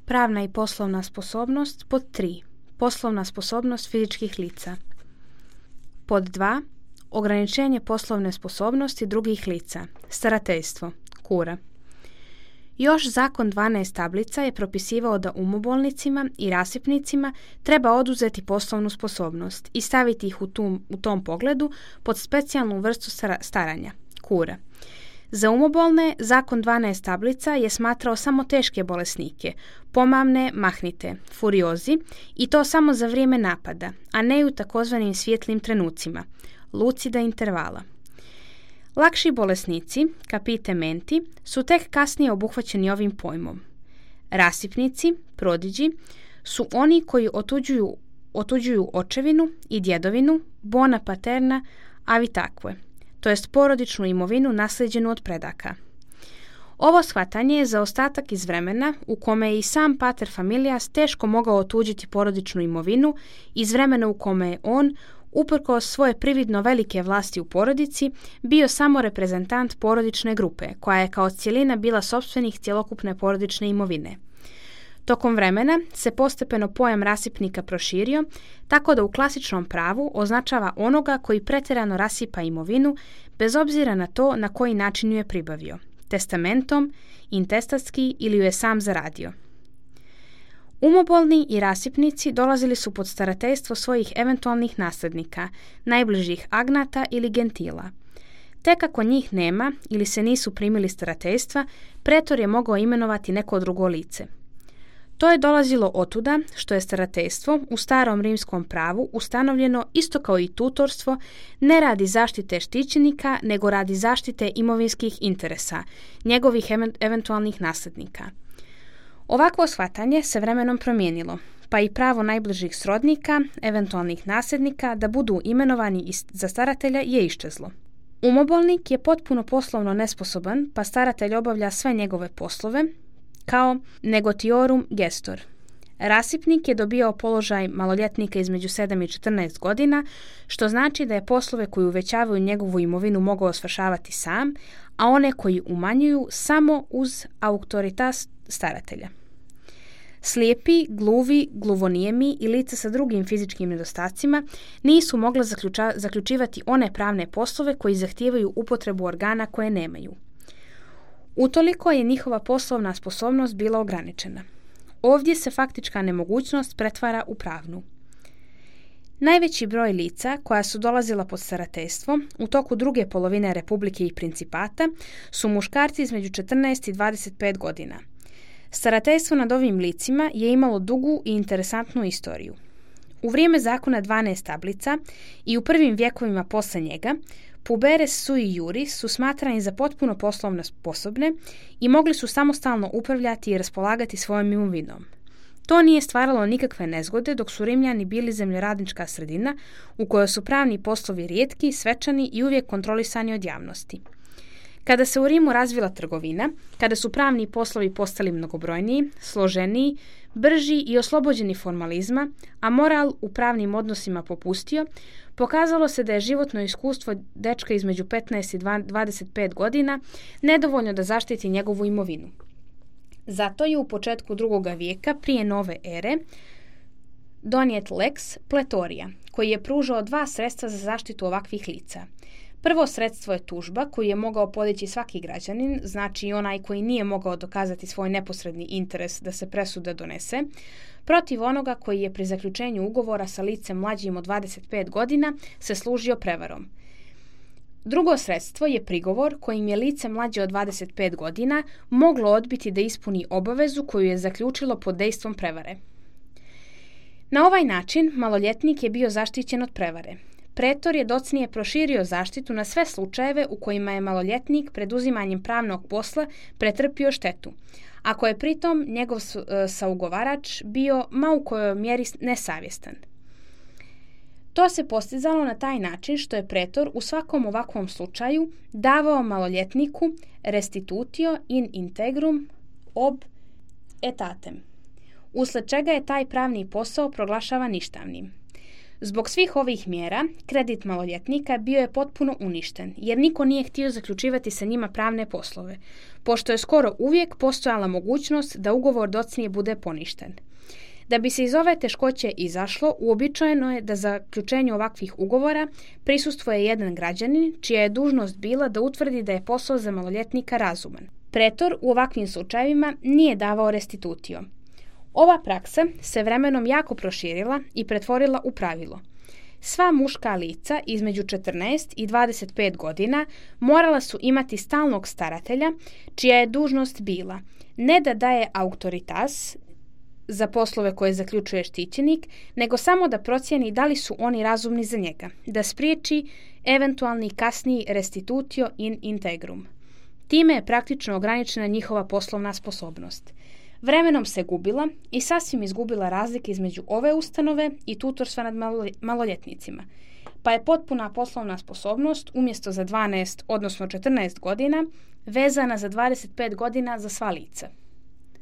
Pravna i poslovna sposobnost. Pod 3. Poslovna sposobnost fizičkih lica. Pod 2. Ograničenje poslovne sposobnosti drugih lica. Starateljstvo. Kura. Još zakon 12 tablica je propisivao da umobolnicima i rasipnicima treba oduzeti poslovnu sposobnost i staviti ih u tom pogledu pod specijalnu vrstu staranja. Kura. Za umobolne zakon 12 tablica je smatrao samo teške bolesnike, pomamne, mahnite, furiozi i to samo za vrijeme napada, a ne u takozvanim svjetlim trenucima, lucida intervala. Lakši bolesnici, capite menti, su tek kasnije obuhvaćeni ovim pojmom. Rasipnici, prodiđi, su oni koji otuđuju očevinu i djedovinu, bona paterna, avi takve, to jest porodičnu imovinu naslijeđenu od predaka. Ovo shvatanje je za ostatak iz vremena u kome je i sam pater familias teško mogao otuđiti porodičnu imovinu, iz vremena u kome je on, uprkos svoje prividno velike vlasti u porodici, bio samo reprezentant porodične grupe, koja je kao cjelina bila sopstvenih cjelokupne porodične imovine. Tokom vremena se postepeno pojam rasipnika proširio, tako da u klasičnom pravu označava onoga koji pretjerano rasipa imovinu, bez obzira na to na koji način ju je pribavio, testamentom, intestatski ili ju je sam zaradio. Umobolni i rasipnici dolazili su pod starateljstvo svojih eventualnih nasljednika, najbližih agnata ili gentila. Tek ako njih nema ili se nisu primili starateljstva, pretor je mogao imenovati neko drugo lice. To je dolazilo otuda što je starateljstvo u starom rimskom pravu ustanovljeno isto kao i tutorstvo ne radi zaštite štićenika, nego radi zaštite imovinskih interesa, njegovih eventualnih nasljednika. Ovakvo shvatanje se vremenom promijenilo, pa i pravo najbližih srodnika, eventualnih nasljednika da budu imenovani za staratelja je iščezlo. Umobolnik je potpuno poslovno nesposoban, pa staratelj obavlja sve njegove poslove, kao negotiorum gestor. Rasipnik je dobio položaj maloljetnika između 7 i 14 godina, što znači da je poslove koji uvećavaju njegovu imovinu mogao svršavati sam, a one koji umanjuju samo uz autoritas staratelja. Slijepi, gluvi, gluvonijemi i lica sa drugim fizičkim nedostacima nisu mogla zaključivati one pravne poslove koji zahtijevaju upotrebu organa koje nemaju. Utoliko je njihova poslovna sposobnost bila ograničena. Ovdje se faktička nemogućnost pretvara u pravnu. Najveći broj lica koja su dolazila pod starateljstvo u toku druge polovine Republike i Principata su muškarci između 14 i 25 godina. Starateljstvo nad ovim licima je imalo dugu i interesantnu istoriju. U vrijeme zakona 12 tablica i u prvim vjekovima posle njega, puberes sui juris su smatrani za potpuno poslovno sposobne i mogli su samostalno upravljati i raspolagati svojom imovinom. To nije stvaralo nikakve nezgode dok su Rimljani bili zemljoradnička sredina u kojoj su pravni poslovi rijetki, svečani i uvijek kontrolisani od javnosti. Kada se u Rimu razvila trgovina, kada su pravni poslovi postali mnogobrojniji, složeniji, brži i oslobođeni formalizma, a moral u pravnim odnosima popustio, pokazalo se da je životno iskustvo dečka između 15 i 25 godina nedovoljno da zaštiti njegovu imovinu. Zato je u početku 2. vijeka prije nove ere donijet lex pletorija, koji je pružao 2 sredstva za zaštitu ovakvih lica. Prvo sredstvo je tužba koju je mogao podići svaki građanin, znači onaj koji nije mogao dokazati svoj neposredni interes da se presuda donese, protiv onoga koji je pri zaključenju ugovora sa licem mlađim od 25 godina se služio prevarom. Drugo sredstvo je prigovor kojim je lice mlađe od 25 godina moglo odbiti da ispuni obavezu koju je zaključilo pod dejstvom prevare. Na ovaj način maloljetnik je bio zaštićen od prevare. Pretor je docnije proširio zaštitu na sve slučajeve u kojima je maloljetnik preduzimanjem pravnog posla pretrpio štetu, ako je pritom njegov saugovarač bio ma u kojoj mjeri nesavjestan. To se postizalo na taj način što je pretor u svakom ovakvom slučaju davao maloljetniku restitutio in integrum ob etatem, usled čega je taj pravni posao proglašava ništavnim. Zbog svih ovih mjera, kredit maloljetnika bio je potpuno uništen, jer niko nije htio zaključivati sa njima pravne poslove, pošto je skoro uvijek postojala mogućnost da ugovor docnije bude poništen. Da bi se iz ove teškoće izašlo, uobičajeno je da za zaključenju ovakvih ugovora prisustvuje jedan građanin, čija je dužnost bila da utvrdi da je posao za maloljetnika razuman. Pretor u ovakvim slučajevima nije davao restitutio. Ova praksa se vremenom jako proširila i pretvorila u pravilo. Sva muška lica između 14 i 25 godina morala su imati stalnog staratelja, čija je dužnost bila ne da daje autoritas za poslove koje zaključuje štićenik, nego samo da procijeni da li su oni razumni za njega, da spriječi eventualni kasniji restitutio in integrum. Time je praktično ograničena njihova poslovna sposobnost. Vremenom se gubila i sasvim izgubila razlike između ove ustanove i tutorstva nad maloljetnicima, pa je potpuna poslovna sposobnost umjesto za 12, odnosno 14 godina, vezana za 25 godina za sva lica.